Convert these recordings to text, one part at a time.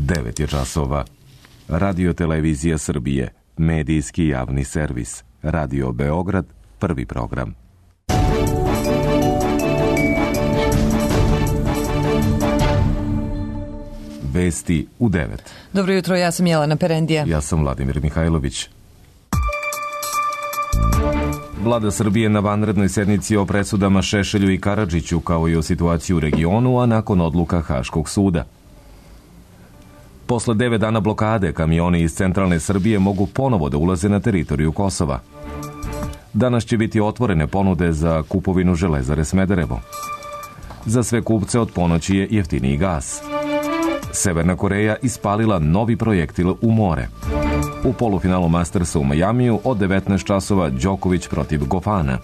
9 je časova. Radio Televizija Srbije, medijski javni servis. Radio Beograd, prvi program. Vesti u 9. Dobro jutro, ja sam Jelena Perendija. Ja sam Vladimir Mihajlović. Vlada Srbije na vanrednoj sednici o presudama Šešelju i Karadžiću, kao i o situaciji u regionu, a nakon odluka Haškog suda. Posle 9 dana blokade, kamioni iz centralne Srbije mogu ponovo da ulaze na teritoriju Kosova. Danas će biti otvorene ponude za kupovinu Železare Smederevo. Za sve kupce od ponoći je jeftiniji gas. Severna Koreja ispalila novi projektil u more. U polufinalu Mastersa u Majamiju od 19 časova Đoković protiv Gofana.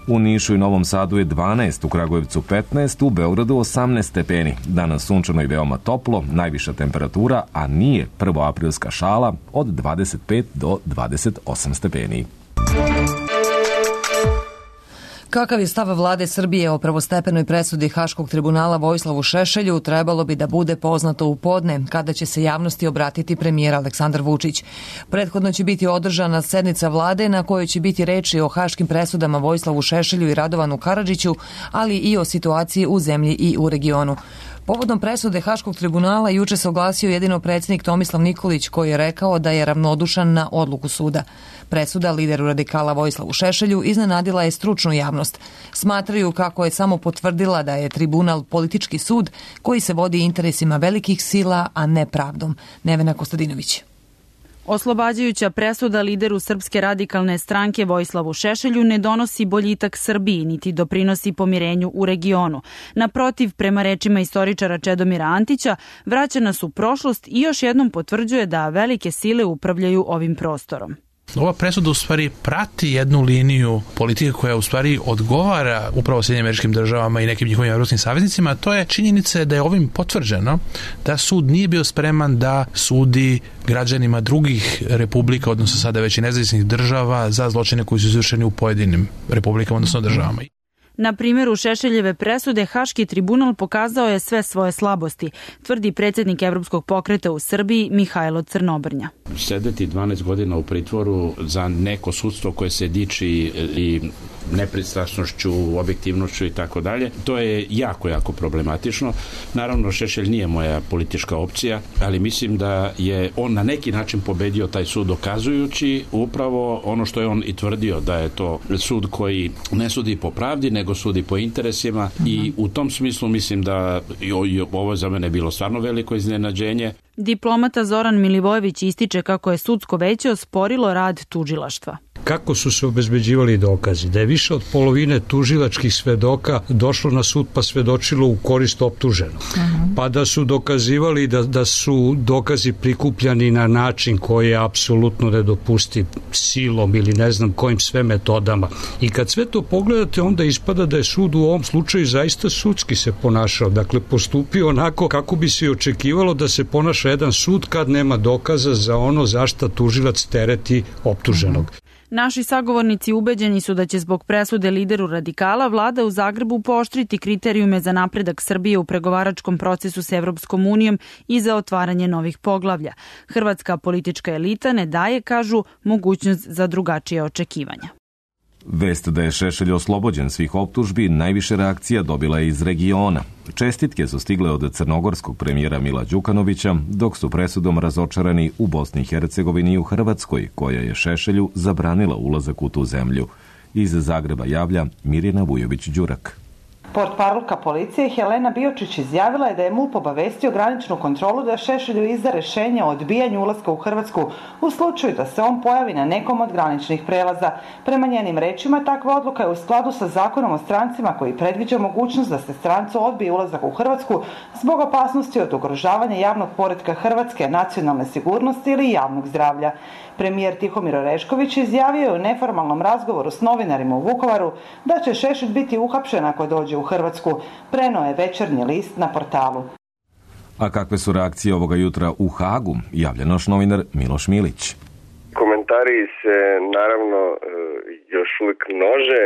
U Nišu i Novom Sadu je 12, u Kragujevcu 15, u Beogradu 18 stepeni. Danas sunčano i veoma toplo, najviša temperatura, a nije prvoaprilska šala, od 25 do 28 stepeni. Kakav je stav vlade Srbije o prvostepenoj presudi Haškog tribunala Vojislavu Šešelju trebalo bi da bude poznato u podne, kada će se javnosti obratiti premijer Aleksandar Vučić. Prethodno će biti održana sednica vlade na kojoj će biti reči o haškim presudama Vojislavu Šešelju i Radovanu Karadžiću, ali i o situaciji u zemlji i u regionu. Povodom presude Haškog tribunala juče se oglasio jedino predsjednik Tomislav Nikolić, koji je rekao da je ravnodušan na odluku suda. Presuda lideru radikala Vojislavu Šešelju iznenadila je stručnu javnost. Smatraju kako je samo potvrdila da je tribunal politički sud koji se vodi interesima velikih sila, a ne pravdom. Nevena Kostadinović. Oslobađajuća presuda lideru Srpske radikalne stranke Vojislavu Šešelju ne donosi boljitak Srbiji, niti doprinosi pomirenju u regionu. Naprotiv, prema rečima istoričara Čedomira Antića, vraća nas u prošlost i još jednom potvrđuje da velike sile upravljaju ovim prostorom. Ova presuda u stvari prati jednu liniju politike koja u stvari odgovara upravo Sjedinjenim Američkim Državama i nekim njihovim evropskim saveznicima, a to je činjenica da je ovim potvrđeno da sud nije bio spreman da sudi građanima drugih republika, odnosno sada već i nezavisnih država, za zločine koji su izvršeni u pojedinim republikama, odnosno državama. Na primjeru Šešeljeve presude, Haški tribunal pokazao je sve svoje slabosti, tvrdi predsjednik Evropskog pokreta u Srbiji Mihajlo Crnobrnja. Sedeti 12 godina u pritvoru za neko sudstvo koje se diči i nepristrasnošću, objektivnošću i tako dalje, to je jako problematično. Naravno, Šešelj nije moja politička opcija, ali mislim da je on na neki način pobedio taj sud, dokazujući upravo ono što je on i tvrdio, da je to sud koji ne sudi po pravdi, nego sudi po interesima i u tom smislu mislim da ovo za mene bilo stvarno veliko iznenađenje. Diplomata Zoran Milivojević ističe kako je sudsko veće osporilo rad tužilaštva. Kako su se obezbeđivali dokazi? Da je više od polovine tužilačkih svedoka došlo na sud pa svedočilo u korist optuženog. Pa da su dokazivali da su dokazi prikupljani na način koji je apsolutno nedopustiv, silom ili ne znam kojim sve metodama. I kad sve to pogledate, onda ispada da je sud u ovom slučaju zaista sudski se ponašao. Dakle, postupio onako kako bi se očekivalo da se ponaša jedan sud kad nema dokaza za ono za šta tužilac tereti optuženog. Naši sagovornici ubeđeni su da će zbog presude lideru radikala vlada u Zagrebu pooštriti kriterijume za napredak Srbije u pregovaračkom procesu s Evropskom unijom i za otvaranje novih poglavlja. Hrvatska politička elita ne daje, kažu, mogućnost za drugačije očekivanja. Vest da je Šešelj oslobođen svih optužbi najviše reakcija dobila je iz regiona. Čestitke su stigle od crnogorskog premijera Mila Đukanovića, dok su presudom razočarani u Bosni i Hercegovini i u Hrvatskoj, koja je Šešelju zabranila ulazak u tu zemlju. Iz Zagreba javlja Mirjana Vujović-Đurak. Portparolka policije Helena Biočić izjavila je da je MUP obavestio graničnu kontrolu da Šešelju izda rešenje o odbijanju ulaska u Hrvatsku u slučaju da se on pojavi na nekom od graničnih prelaza. Prema njenim rečima, takva odluka je u skladu sa zakonom o strancima koji predviđa mogućnost da se strancu odbije ulazak u Hrvatsku zbog opasnosti od ugrožavanja javnog poretka Hrvatske, nacionalne sigurnosti ili javnog zdravlja. Premijer Tihomir Orešković izjavio je u neformalnom razgovoru s novinarima u Vukovaru da će Šešelj biti uhapšen ako dođe u Hrvatsku, preneo je Večernji list na portalu. A kakve su reakcije ovoga jutra u Hagu, javlja naš novinar Miloš Milić. Komentari se naravno još uvijek množe.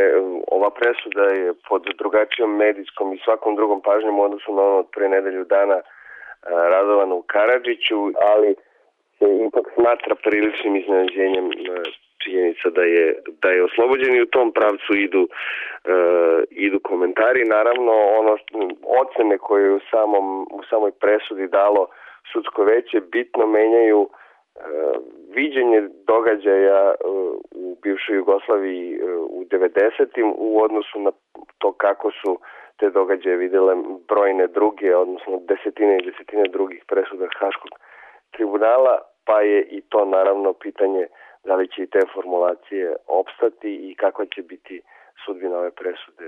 Ova presuda je pod drugačijom medijskom i svakom drugom pažnjom u odnosu na ono od prije nedelju dana Radovanu Karadžiću, ali se ipak smatra priličnim iznenađenjem činjenica da je oslobođen i u tom pravcu idu komentari. Naravno, ocene koje je u samoj presudi dalo sudsko veće bitno menjaju viđenje događaja u bivšoj Jugoslaviji u 90-im u odnosu na to kako su te događaje videle brojne druge, odnosno desetine i desetine drugih presuda Haškog tribunala, pa je i to naravno pitanje da li će i te formulacije opstati i kakva će biti sudbina ove presude.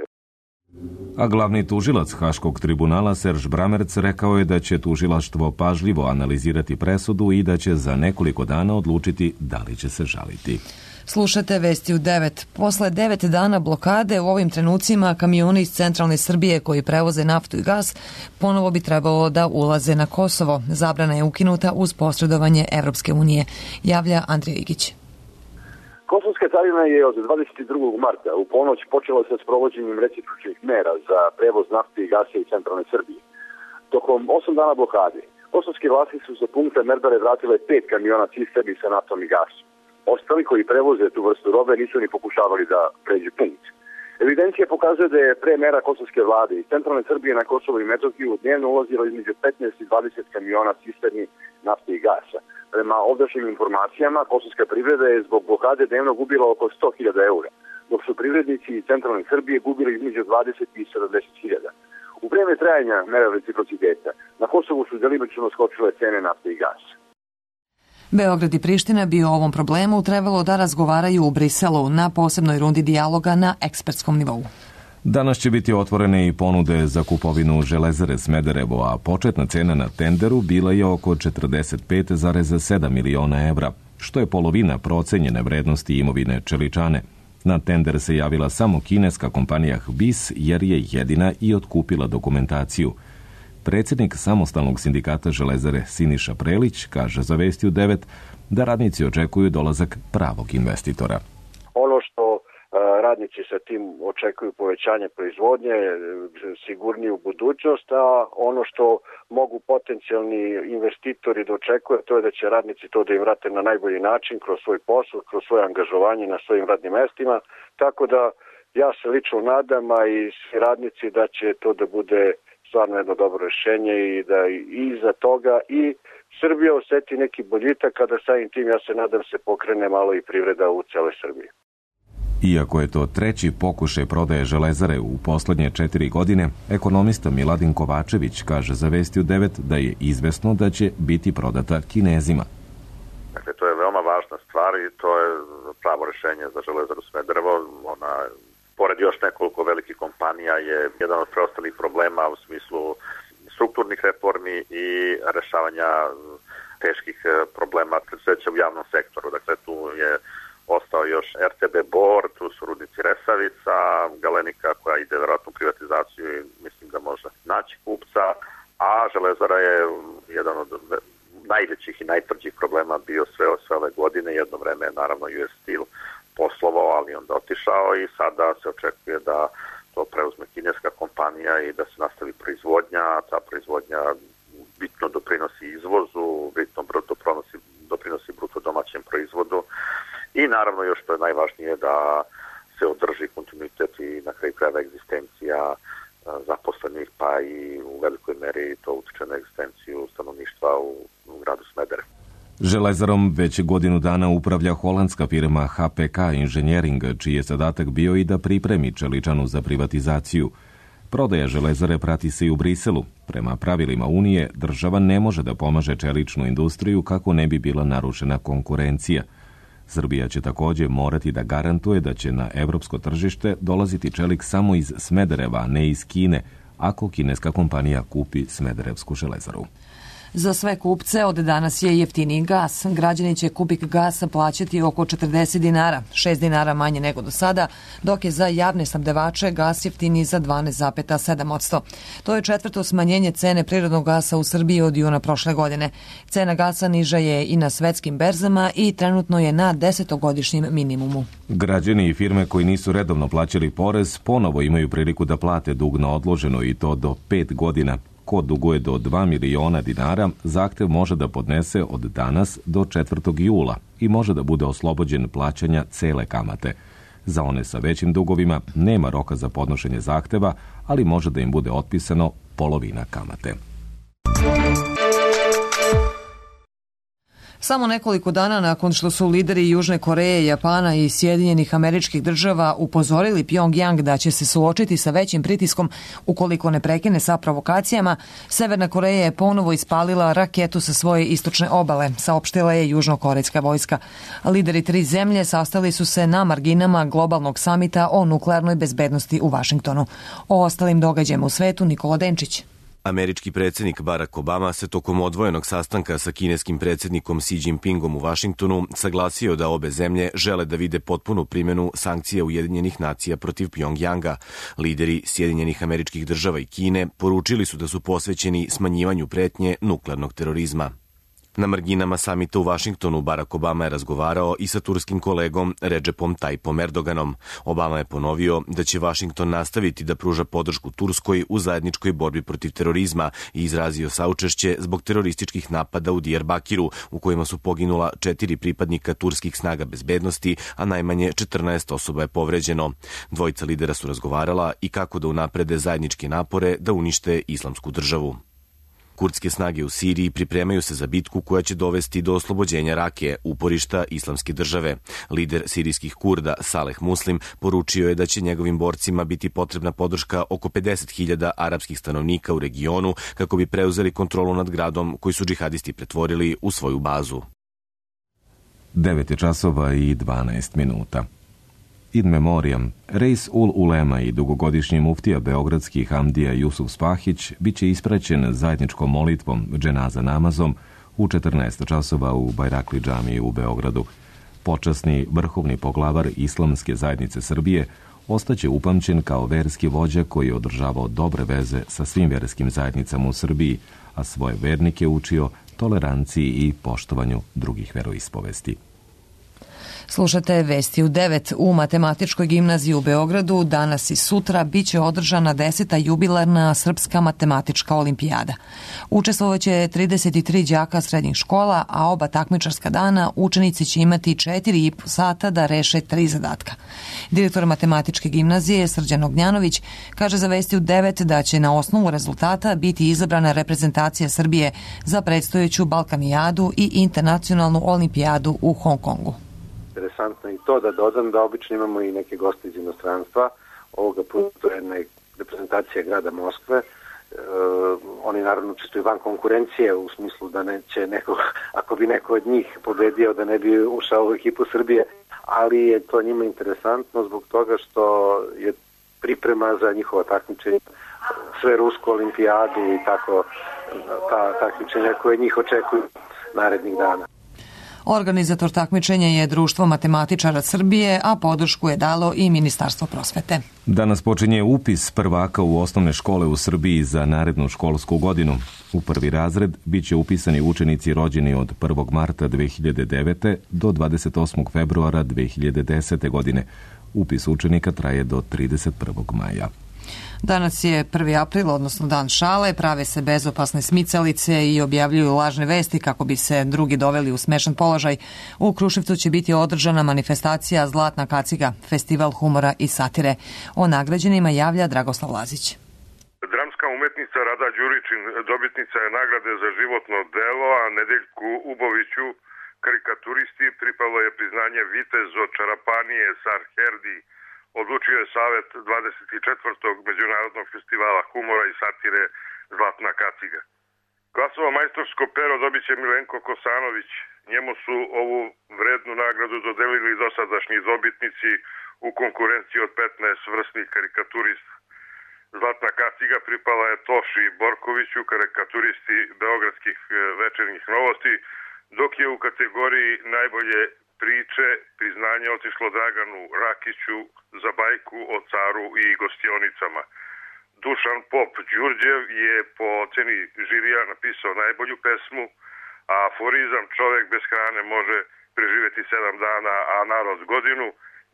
A glavni tužilac Haškog tribunala Serž Bramerc rekao je da će tužilaštvo pažljivo analizirati presudu i da će za nekoliko dana odlučiti da li će se žaliti. Slušate Vesti u 9. Posle 9 dana blokade u ovim trenucima kamioni iz centralne Srbije koji prevoze naftu i gas ponovo bi trebalo da ulaze na Kosovo. Zabrana je ukinuta uz posredovanje Evropske unije, javlja Andrija Igić. Kosovska carina je od 22. marta u ponoć počela sa sprovođenjem recipročnih mera za prevoz nafte i gasa iz centralne Srbije. Tokom 8 dana blokade, kosovske vlasti su sa punkta Merdare vratile 5 kamiona cisterni sa naftom i gasom. Ostali koji prevoze tu vrstu robe nisu ni pokušavali da pređu punkt. Evidencija pokazuje da je pre mera kosovske vlade iz centralne Srbije na Kosovo i Metohiju dnevno ulazilo između 15 i 20 kamiona cisterni nafte i gasa. Prema ovdašnjim informacijama, kosovska privreda je zbog blokade dnevno gubila oko 100.000 eura, dok su privrednici iz centralne Srbije gubili između 20 i 70.000. U vreme trajanja mera reciprociteta na Kosovu su delimično skočile cene nafte i gasa. Beograd i Priština bi o ovom problemu trebalo da razgovaraju u Briselu na posebnoj rundi dijaloga na ekspertskom nivou. Danas će biti otvorene i ponude za kupovinu Železare Smederevo, a početna cena na tenderu bila je oko 45,7 miliona evra, što je polovina procenjene vrednosti imovine Čeličane. Na tender se javila samo kineska kompanija HBIS, jer je jedina i otkupila dokumentaciju. Predsjednik samostalnog sindikata Železare Siniša Prelić kaže za Vesti u 9 da radnici očekuju dolazak pravog investitora. Ono što radnici sa tim očekuju povećanje proizvodnje, sigurniju budućnost, a ono što mogu potencijalni investitori da očekuju, to je da će radnici to da im vrate na najbolji način, kroz svoj posao, kroz svoje angažovanje na svojim radnim mestima. Tako da ja se lično nadam, a i svi radnici, da će to da bude stvarno jedno dobro rješenje i da iza toga i Srbija oseti neki boljitak, kada samim tim, ja se nadam, se pokrene malo i privreda u celoj Srbiji. Iako je to treći pokušaj prodaje Železare u poslednje 4 godine, ekonomista Miladin Kovačević kaže za Vesti u 9 da je izvesno da će biti prodata Kinezima. Dakle, to je veoma važna stvar i to je pravo rešenje za Železaru Smederevo. Ona, pored još nekoliko velikih kompanija, je jedan od preostalih problema u smislu strukturnih reformi i rešavanja teških problema preduzeća u javnom sektoru. Dakle, tu je ostao još RTB Bor, tu su rudnici Resavica, Galenika koja ide verovatno u privatizaciju i mislim da može naći kupca, a Železara je jedan od najvećih i najtvrđih problema bio sve ove godine. Jedno vreme je naravno US Steel poslovao, ali onda otišao i sada se očekuje da to preuzme kineska kompanija i da se nastavi proizvodnja. Ta proizvodnja bitno doprinosi izvozu, bitno doprinosi bruto domaćem proizvodu. I naravno još što je najvažnije da se održi kontinuitet i na kraju krajeva egzistencija zaposlenih, pa i u velikoj meri to utiče na egzistenciju stanovništva u gradu Smederevo. Železarom već godinu dana upravlja holandska firma HPK Engineering, čiji je zadatak bio i da pripremi Čeličanu za privatizaciju. Prodaja Železare prati se i u Briselu. Prema pravilima Unije, država ne može da pomaže čeličnu industriju kako ne bi bila narušena konkurencija. Srbija će također morati da garantuje da će na evropsko tržište dolaziti čelik samo iz Smedereva, a ne iz Kine, ako kineska kompanija kupi Smederevsku železaru. Za sve kupce od danas je jeftiniji gas. Građani će kubik gasa plaćati oko 40 dinara, 6 dinara manje nego do sada, dok je za javne snabdevače gas jeftiniji za 12,7%. To je četvrto smanjenje cene prirodnog gasa u Srbiji od juna prošle godine. Cena gasa niža je i na svetskim berzama i trenutno je na 10-godišnjem minimumu. Građani i firme koji nisu redovno plaćali porez ponovo imaju priliku da plate dug na odloženo i to do 5 godina. Ko duguje do 2 miliona dinara, zahtev može da podnese od danas do 4. jula i može da bude oslobođen plaćanja cele kamate. Za one sa većim dugovima nema roka za podnošenje zahteva, ali može da im bude otpisano polovina kamate. Samo nekoliko dana nakon što su lideri Južne Koreje, Japana i Sjedinjenih Američkih Država upozorili Pjongjang da će se suočiti sa većim pritiskom ukoliko ne prekine sa provokacijama, Severna Koreja je ponovo ispalila raketu sa svoje istočne obale, saopštila je južnokorejska vojska. Lideri 3 zemlje sastali su se na marginama globalnog samita o nuklearnoj bezbednosti u Vašingtonu. O ostalim događajima u svetu Nikola Denčić. Američki predsjednik Barack Obama se tokom odvojenog sastanka sa kineskim predsjednikom Xi Jinpingom u Vašingtonu saglasio da obe zemlje žele da vide potpunu primjenu sankcija Ujedinjenih nacija protiv Pjongjanga. Lideri Sjedinjenih Američkih Država i Kine poručili su da su posvećeni smanjivanju pretnje nuklearnog terorizma. Na marginama samita u Vašingtonu Barack Obama je razgovarao i sa turskim kolegom Recepom Tayyipom Erdoganom. Obama je ponovio da će Vašington nastaviti da pruža podršku Turskoj u zajedničkoj borbi protiv terorizma i izrazio saučešće zbog terorističkih napada u Diyarbakiru, u kojima su poginula 4 pripadnika turskih snaga bezbednosti, a najmanje 14 osoba je povređeno. Dvojica lidera su razgovarala i kako da unaprede zajedničke napore da unište islamsku državu. Kurdske snage u Siriji pripremaju se za bitku koja će dovesti do oslobođenja Rake, uporišta islamske države. Lider sirijskih Kurda Saleh Muslim poručio je da će njegovim borcima biti potrebna podrška oko 50.000 arapskih stanovnika u regionu kako bi preuzeli kontrolu nad gradom koji su džihadisti pretvorili u svoju bazu. 9:12. In memoriam, Reis ul Ulema i dugogodišnji muftija beogradski Hamdija Jusuf Spahić bit će ispraćen zajedničkom molitvom, dženaza namazom, u 14 časova u Bajrakli džamiji u Beogradu. Počasni vrhovni poglavar Islamske zajednice Srbije ostaće upamćen kao verski vođa koji je održavao dobre veze sa svim verskim zajednicama u Srbiji, a svoje vernike učio toleranciji i poštovanju drugih veroispovesti. Slušate Vesti u 9. U Matematičkoj gimnaziji u Beogradu danas i sutra biće održana 10. jubilarna Srpska matematička olimpijada. Učestvovaće 33 đaka srednjih škola, a oba takmičarska dana učenici će imati 4,5 sata da reše 3 zadatka. Direktor Matematičke gimnazije Srđan Ognjanović kaže za Vesti u 9 da će na osnovu rezultata biti izabrana reprezentacija Srbije za predstojeću Balkanijadu i internacionalnu olimpijadu u Hong Kongu. Interesantno i to da dodam da obično imamo i neke goste iz inostranstva. Ovoga puta je reprezentacija grada Moskve. Oni naravno učestvuju van konkurencije u smislu da neće neko, ako bi neko od njih pobedio, da ne bi ušao u ekipu Srbije, ali je to njima interesantno zbog toga što je priprema za njihova takmičenja, sve rusku olimpijadu i tako ta takmičenja koje njih očekuju narednih dana. Organizator takmičenja je Društvo matematičara Srbije, a podršku je dalo i Ministarstvo prosvete. Danas počinje upis prvaka u osnovne škole u Srbiji za narednu školsku godinu. U prvi razred bit će upisani učenici rođeni od 1. marta 2009. do 28. februara 2010. godine. Upis učenika traje do 31. maja. Danas je 1. april, odnosno dan šale, prave se bezopasne smicalice i objavljuju lažne vesti kako bi se drugi doveli u smešan položaj. U Kruševcu će biti održana manifestacija Zlatna kaciga, festival humora i satire. O nagrađenima javlja Dragoslav Lazić. Dramska umetnica Rada Đuričin dobitnica je nagrade za životno delo, a Nedeljku Uboviću, karikaturisti, pripalo je priznanje Vitez od Čarapanije Sarherdi. Odlučio je Savet 24. Međunarodnog festivala humora i satire Zlatna kaciga. Glasovo majstorsko pero dobit će Milenko Kosanović. Njemu su ovu vrednu nagradu dodelili dosadašnji dobitnici u konkurenciji od 15 vrsnih karikaturista. Zlatna kaciga pripala je Toši Borkoviću, karikaturisti beogradskih večernjih novosti, dok je u kategoriji najbolje priče priznanje otišlo Draganu Rakiću za bajku o caru i gostionicama. Dušan Pop Đurđev je po oceni žirija napisao najbolju pesmu, a aforizam čovek bez hrane može preživeti 7 dana, a narod godinu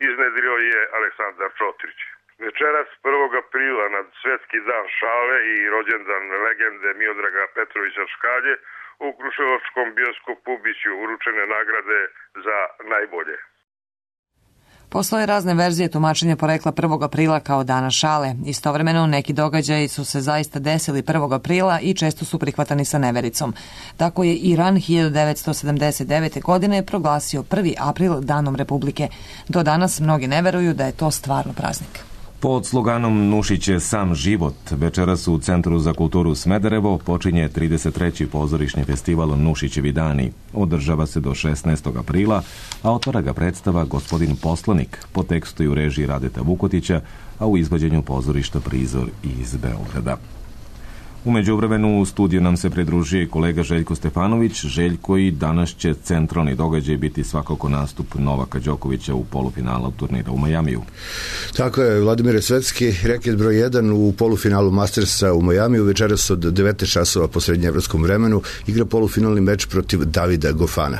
iznedrio je Aleksandar Čotrić. Večeras 1. aprila na Svetski dan šale i rođendan legende Miodraga Petrovića Škalje u Kruševačkom bioskopu biće uručene nagrade za najbolje. Postoje razne verzije tumačenja porekla 1. aprila kao dana šale. Istovremeno, neki događaji su se zaista desili 1. aprila i često su prihvatani sa nevericom. Tako je Iran 1979. godine proglasio 1. april danom Republike. Do danas mnogi ne veruju da je to stvarno praznik. Pod sloganom Nušić je sam život, večeras u Centru za kulturu Smederevo počinje 33. pozorišni festival Nušićevi dani. Održava se do 16. aprila, a otvara ga predstava Gospodin poslanik, po tekstu i u režiji Radeta Vukotića, a u izvođenju pozorišta Prizor iz Beograda. U međuvremenu u studiju nam se pridružuje kolega Željko Stefanović. Željko, i danas će centralni događaj biti svakako nastup Novaka Đokovića u polufinalu turnira u Majamiju. Tako je, Vladimir Svetski, reket broj 1 u polufinalu Mastersa u Majamiju. Večeras od 19 časova po srednjeevropskom vremenu igra polufinalni meč protiv Davida Gofana.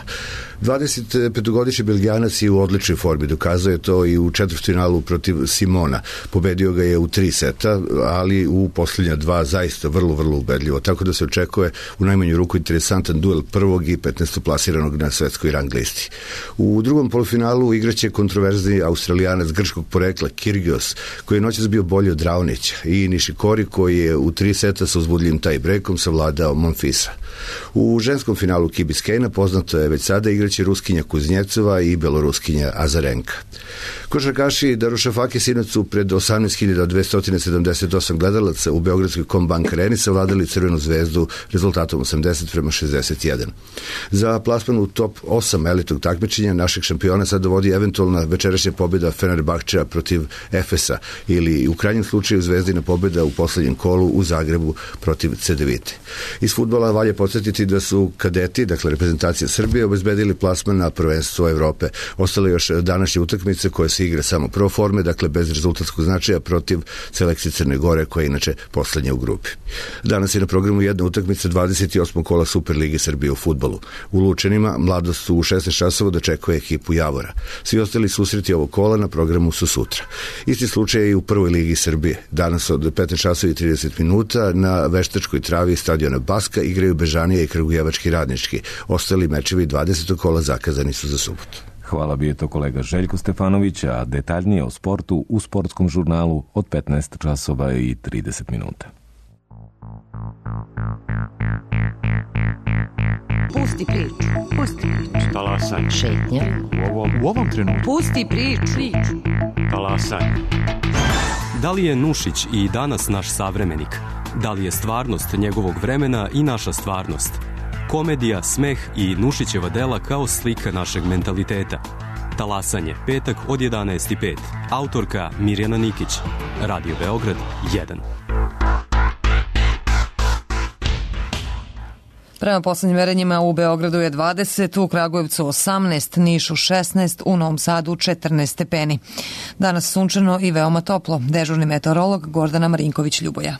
25-godišnji Belgijanac je u odličnoj formi, dokazao je to i u četvrtfinalu protiv Simona. Pobedio ga je u 3 seta, ali u posljednja 2 zaista vrlo ubedljivo, tako da se očekuje u najmanju ruku interesantan duel prvog i 15. plasiranog na svetskoj rang listi. U drugom polufinalu igraće kontroverzni Australijanac grčkog porekla Kyrgios, koji je noćas bio bolji od Raonića, i Nishikori, koji je u 3 seta sa uzbudljivim tie-breakom savladao Monfisa. U ženskom finalu Key Biscayne poznato je već sada igraće Ruskinja Kuznjecova i Beloruskinja Azarenka. Košarkaši Darušafake sinoć su pred 18.278 gledalaca u Beogradskoj Combank Areni savladali Crvenu zvezdu rezultatom 80-61. Za plasman u top 8 elitnog takmičenja našeg šampiona sad dovodi eventualna večerašnja pobjeda Fenerbahčea protiv Efesa ili u krajnjem slučaju Zvezdina pobjeda u poslednjem kolu u Zagrebu protiv Cedevite. Iz fudbala valja podsjetiti da su kadeti, dakle reprezentacija Srbije, obezbedili plasman na prvenstvo Evrope. Ostale još današnje utakmice koje se igra samo pro forme, dakle bez rezultatskog značaja, protiv selekcije Crne Gore, koja je inače poslednja u grupi. Danas je na programu jedna utakmica 28. kola Superlige Srbije u fudbalu. U Lučanima Mladost u 16 časova dočekuje ekipu Javora. Svi ostali susreti ovog kola na programu su sutra. Isti slučaj je i u prvoj ligi Srbije. Danas od 15 časova i 30 minuta na veštačkoj travi stadiona Baska igraju Bežanija i Kragujevački Radnički. Ostali mečevi 20. kola zakazani su za subotu. Hvala, bio je to kolega Željko Stefanović, a detaljnije o sportu u sportskom žurnalu od 15 časova i 30 minuta. Pusti priču. Talasaj. Šetnja. U ovom trenutku. Pusti priču. Talasaj. Da li je Nušić i danas naš savremenik? Da li je stvarnost njegovog vremena i naša stvarnost? Komedija, smeh i Nušićeva dela kao slika našeg mentaliteta. Talasanje, petak od 11:05. Autorka Mirjana Nikić. Radio Beograd 1. Prema poslednjim merenjima u Beogradu je 20, u Kragujevcu 18, Nišu 16, u Novom Sadu 14 stepeni. Danas sunčano i veoma toplo. Dežurni meteorolog Gordana Marinković-Ljuboja.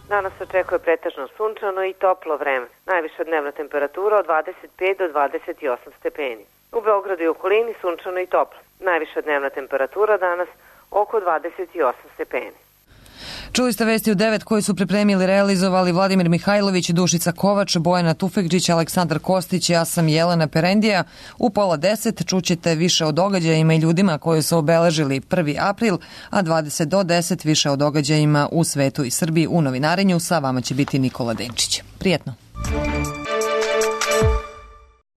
Danas očekuje pretežno sunčano i toplo vreme. Najviša dnevna temperatura od 25 do 28 stepeni. U Beogradu i okolini sunčano i toplo. Najviša dnevna temperatura danas oko 28 stepeni. Čuli ste vesti u 9 koji su pripremili, realizovali Vladimir Mihajlović, Dušica Kovač, Bojana Tufekđić, Aleksandar Kostić, ja sam Jelena Perendija. U 9:30 čućete više o događajima i ljudima koji su obeležili 1. april, a 20 do 10 više o događajima u svetu i Srbiji u novinarenju. Sa vama će biti Nikola Denčić. Prijetno.